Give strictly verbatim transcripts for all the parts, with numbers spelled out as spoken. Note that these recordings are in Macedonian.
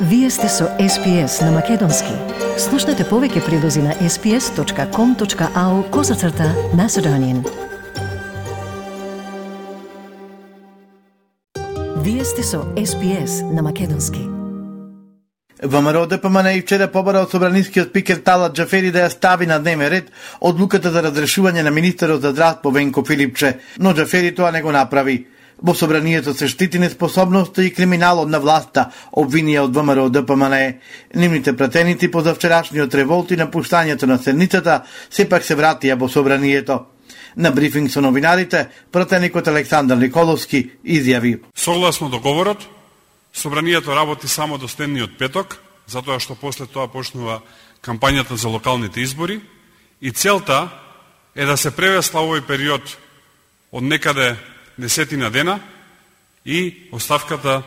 Вие сте со Ес Пи Ес на Македонски. Слушнете повеќе прилози на ес пи ес точка ком точка ау козацрта Macedonian. Вие сте со Ес Пи Ес на Македонски. ВМРО Д П М Н и вчера побара од собранискиот спикер Талат Џафери да ја стави на дневен ред одлуката за разрешување на министерот за здравство Венко Филипче, но Џафери тоа не го направи. Во собранието се штити неспособноста и криминалот на власта, обвинија од ВМРО Д П М Н. Нивните пратеници по завчерашниот револт и напуштањето на седницата сепак се вратија во собранието. На брифинг со новинарите, пратеникот Александар Николовски изјави: Согласно договорот, собранието работи само до следниот петок, затоа што после тоа почнува кампањата за локалните избори и целта е да се превесла овој период од некаде десетина дена и оставката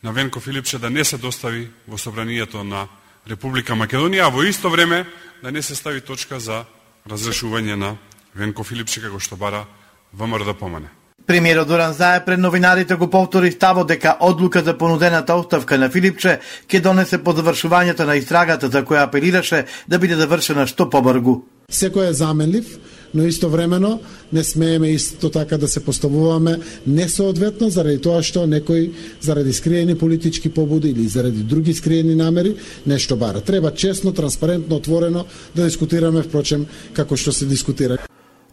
на Венко Филипче да не се достави во собранието на Република Македонија, а во исто време да не се стави точка за разрешување на Венко Филипче како што бара ВМРО Д П М Н. Премиерот Зоран Заев пред новинарите го повтори ставот дека одлука за понудената оставка на Филипче ќе донесе по завршувањето на истрагата за која апелираше да биде завршена што побрзо. Секој е заменлив, но истовремено не смееме исто така да се поставуваме несоодветно заради тоа што некој заради скриени политички побуди или заради други скриени намери нешто бара. Треба честно, транспарентно, отворено да дискутираме, впрочем, како што се дискутира.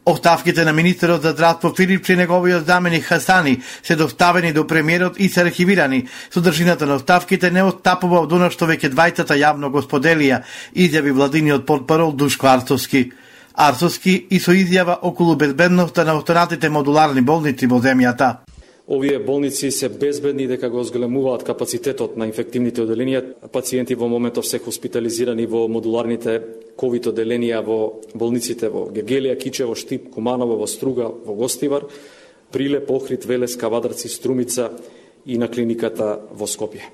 Оставките на министерот за здравство Филипче и неговиот заменик Хасани се доставени до премиерот и се архивирани. Содржината на оставките не отстапува од она што веќе двајцата јавно го споделија, изјави владиниот портпарол Душко Арцовски. Арцовски и со изјава околу безбедноста на останатите модуларни болници во земјата. Овие болници се безбедни дека го зголемуваат капацитетот на инфективните оделенија. Пациенти во моментов се хоспитализирани во модуларните ковид оделенија во болниците во Гегелија, Кичево, Штип, Куманово, во Струга, во Гостивар, Прилеп, Охрид, Велес, Кавадарци, Струмица и на клиниката во Скопје.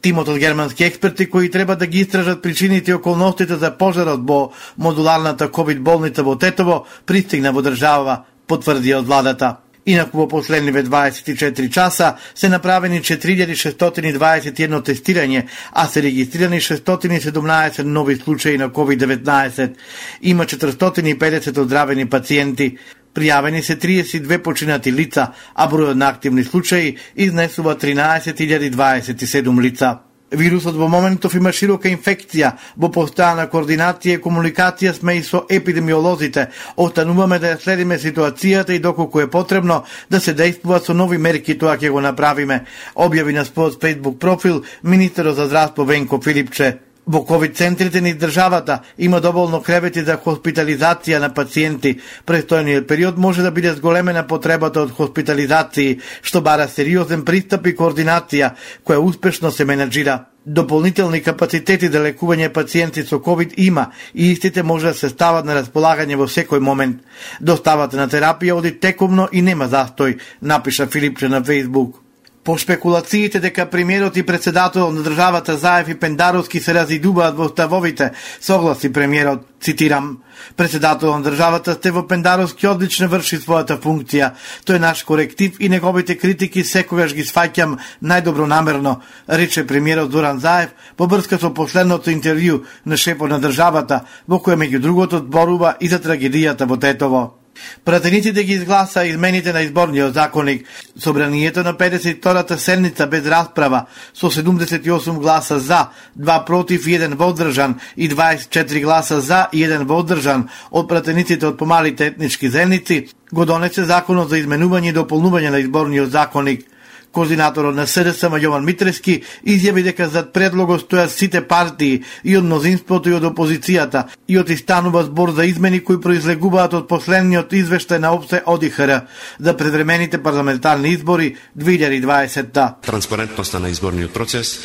Тимот од германски експерти кои треба да ги истражат причините и околностите за пожарот во модуларната ковид болница во Тетово пристигна во држава, потврди од владата. Инаку во последниве дваесет и четири часа се направени четири илјади шестстотини и дваесет и едно тестирање, а се регистрирани шестстотини и седумнаесет нови случаи на ковид деветнаесет. Има четиристотини и педесет оздравени пациенти. Пријавени се триесет и две починати лица, а бројот на активни случаи изнесува тринаесет илјади дваесет и седум лица. Вирусот во моментов има широка инфекција, во постојана координација и комуникација сме и со епидемиолозите. Остануваме да ја следиме ситуацијата и доколку е потребно да се действува со нови мерки, тоа ќе го направиме, објави на својот Facebook профил министерот за здравство Венко Филипче. Во ковид центрите низ државата има доволно кревети за хоспитализација на пациенти. Престојниот период може да биде зголемена потребата од хоспитализации, што бара сериозен пристап и координација, која успешно се менеджира. Дополнителни капацитети за лекување пациенти со ковид има и истите може да се стават на располагање во секој момент. Доставата на терапија оди текомно и нема застој, напиша Филипче на Facebook. По шпекулациите дека премиерот и председателот на државата Заев и Пендаровски се разидуваат во ставовите, согласи премиерот, цитирам: Председателот на државата Стево Пендаровски одлично врши својата функција. Тој е наш коректив и неговите критики секогаш ги сваќам најдобронамерно, рече премиерот Зоран Заев во врска со последното интервју на шефот на државата, во кој меѓу другото зборува и за трагедијата во Тетово. Пратениците ги изгласа измените на изборниот законник. Собранието на педесет и втората седница без расправа со седумдесет и осум гласа за, два против и еден воздржан и дваесет и четири гласа за и еден воздржан од пратениците од помалите етнички заедници го донесе законот за изменување и дополнување на изборниот законник. Координаторот на С Д С М Јован Митрески изјави дека зад предлогот стојат сите партии и од мнозинството и од опозицијата и отистанува збор за измени кои произлегуваат од последниот извештај на ОПСЕ О Д И Х Р за предвремените парламентарни избори две илјади и дваесетта. Транспарентноста на изборниот процес,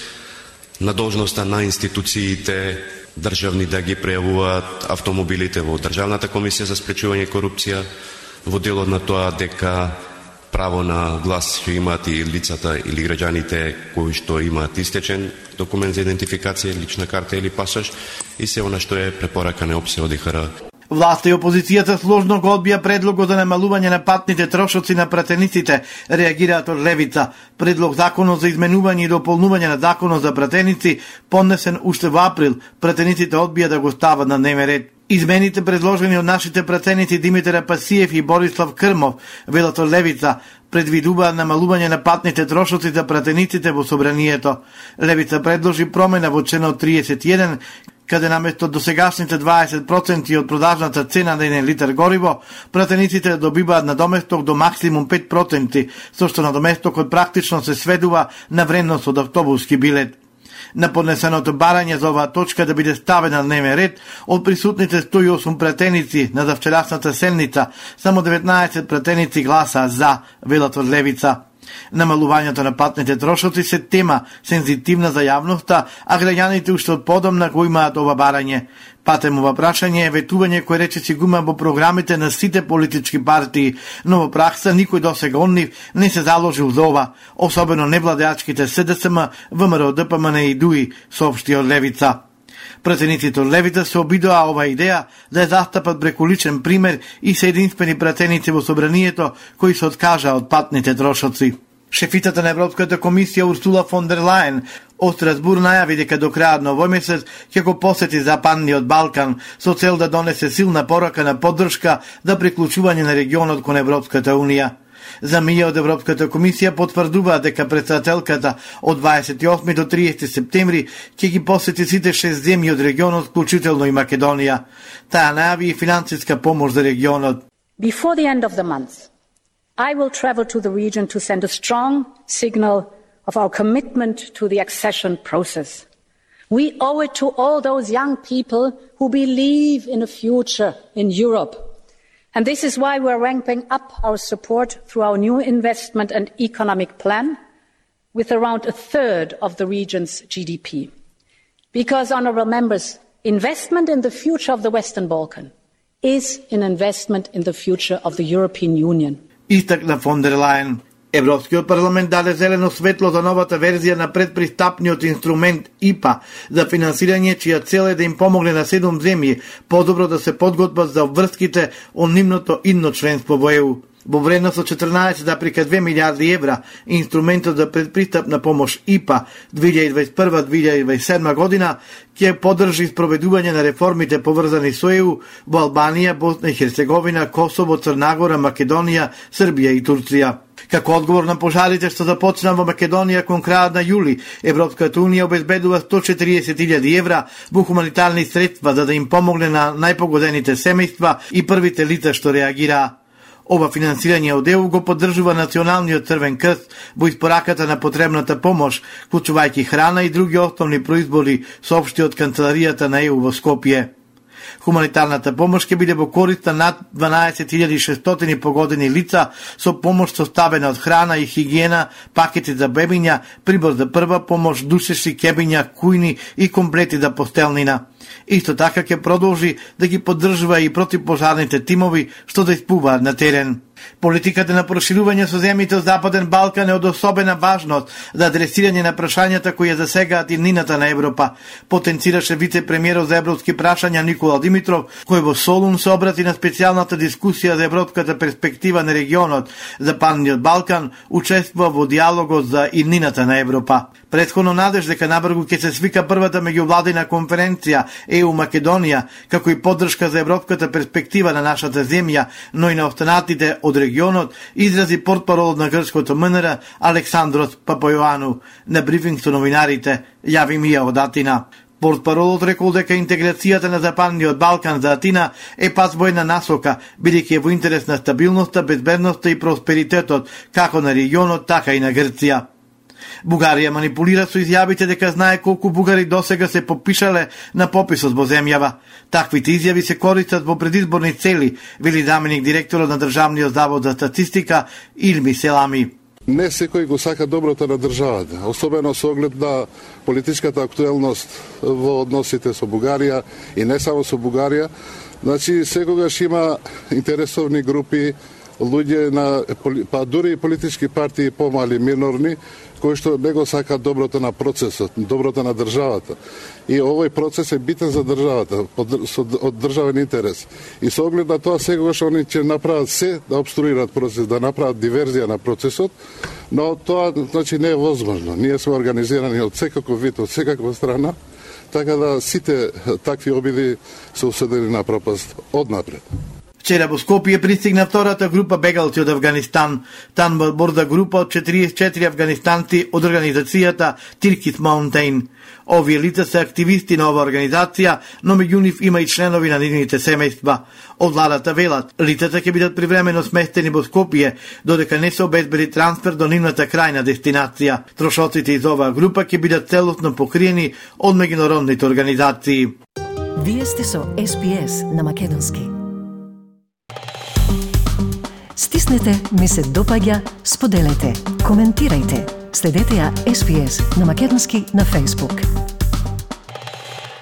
надолжноста на институциите државни да ги прејавуваат автомобилите во Државната комисија за спречување корупција, во делот на тоа дека право на глас што имаат и лицата или граѓаните кои што имаат истечен документ за идентификација, лична карта или пасош и се она што е препорака на ОПСЕ О Д И Х Р. Власта и опозицијата сложно го одбија предлогот за намалување на патните трошоци на пратениците, реагираат од левица. Предлог законот за изменување и дополнување на законот за пратеници, поднесен уште во април, пратениците одбија да го стават на дневен ред. Измените предложени од нашите пратеници Димитар Апасиев и Борислав Крмов, велат од левица, предвидуваат намалување на патните трошоци за пратениците во собранието. Левица предложи промена во членот триесет и еден, каде наместо досегашните дваесет проценти од продажната цена на еден литар гориво, пратениците добиваат надоместок до максимум пет проценти, со што надоместокот практично се сведува на вредност од автобуски билет. На поднесеното барање за оваа точка да биде ставена на дневен ред, од присутните сто и осум пратеници на завчерашната седница, само деветнаесет пратеници гласаа за, велат од левица. Намалувањето на патните трошоци се тема сензитивна за јавноста, а граѓаните уште од подомна го имаат ова барање. Патемова прашање е ветување кој речиси го има во програмите на сите политички партии, но во пракса никој досега од нив не се заложил за ова, особено невладеачките СДСМ, ВМРО, ДПМН и ДУИ, соопшти од левица. Пратениците од левица се обидоа ова идеја да ја застапат преку личен пример и се единствени пратеници во собранието кои се откажа од патните трошоци. Шефицата на Европската комисија Урсула фон дер Лајен од Страсбур најави дека до крајот на овој месец ќе го посети Западниот Балкан со цел да донесе силна порака на поддршка за приклучување на регионот кон Европската унија. За мија од Европската комисија потврдува дека председателката од дваесет и осми до триесети септември ќе ги посети сите шест земји од регионот, вклучително и Македонија. Таа најави и финансиска помош за регионот. Before the end of the month, I will travel to the region to send a strong signal of our commitment to the accession process. We owe it to all those young people who believe in a future in Europe. And this is why we're ramping up our support through our new investment and economic plan with around a third of the region's G D P. Because, honourable members, investment in the future of the Western Balkan is an investment in the future of the European Union. Истакна фон дер Лајен. Европскиот парламент даде зелено светло за новата верзија на предпристапниот инструмент И П А за финансирање, чија цел е да им помогне на седум земји подобро да се подготват за врските од нивното идно членство во Е У. Во вредност од четрнаесет зарез две милијарди евра, инструментот за предпристапна помош И П А две илјади дваесет и прва до две илјади дваесет и седма година ќе поддржи спроведување на реформите поврзани со Е У во Албанија, Босна и Херцеговина, Косово, Црна Гора, Македонија, Србија и Турција. Како одговор на пожарите што започна во Македонија кон крајот на јули, Европската унија обезбедува сто и четириесет илјади евра во хуманитарни средства за да им помогне на најпогодените семејства и првите лица што реагираа. Ова финансирање од Е У го поддржува Националниот Црвен крст во испораката на потребната помош, вклучувајќи храна и други основни производи, соопшти од канцеларијата на Е У во Скопје. Хуманитарната помош ќе биде во корист на над дванаесет илјади и шестстотини погодени лица со помош составена од храна и хигиена, пакети за бебиња, прибор за прва помош, душеши, кебиња, кујни и комплети за постелнина. Исто така ќе продолжи да ги поддржува и противпожарните тимови што да испуваат на терен. Политиката на проширување со земјите од Западен Балкан е од особена важност за адресирање на прашањата кои ја засегаат иднината на Европа, потенцираше вице-премиерот за европски прашања Никола Димитров, кој во Солун се обрати на специјалната дискусија за европската перспектива на регионот. Западниот Балкан учествува во диалогот за иднината на Европа. Претходно надеж дека набрзо ќе се свика првата меѓувладина конференција Е У Македонија, како и поддршка за европската перспектива на нашата земја, но и на останатите од регионот, изрази портпаролот на грчкото М Н Р Александрос Папајоану на брифинг со новинарите, јави Мија од Атина. Портпаролот рекол дека интеграцијата на Западниот Балкан за Атина е пат во една насока, бидејќи е во интерес на стабилноста, безбедноста и просперитетот како на регионот, така и на Грција. Бугарија манипулира со изјавите дека знае колку бугари досега се попишале на пописот во земјава. Таквите изјави се користат во предизборни цели, вели заменик директорот на Државниот завод за статистика Илми Селами. Не секој го сака доброто на државата, особено со оглед на политичката актуелност во односите со Бугарија и не само со Бугарија. Значи, секогаш има интересовни групи луѓе на па дури и политички партии помали минорни кои што не го сакаат доброто на процесот, доброто на државата. И овој процес е битен за државата, од државен интерес. И со оглед на тоа секогаш они ќе направат се да обструират процес, да направат диверзија на процесот, но тоа значи не е возможно. Ние сме организирани од секаков вид, од секаква страна, така да сите такви обиди се осудени на пропаст однапред. Вчера во Скопје пристигна втората група бегалци од Афганистан. Тан борда група од четириесет и четири афганистанци од организацијата Turkish Mountain. Овие лица се активисти на оваа организација, но меѓу нив има и членови на нивните семејства. Од владата велат, лицата ќе бидат привремено сместени во Скопје, додека не се обезбеди трансфер до нивната крајна дестинација. Трошоците из оваа група ќе бидат целосно покриени од меѓународните организации. Вие сте со Ес Би Ес на македонски. Стиснете, ми се допаѓа, споделете, коментирајте. Следете ја Ес Би Ес на македонски на Facebook.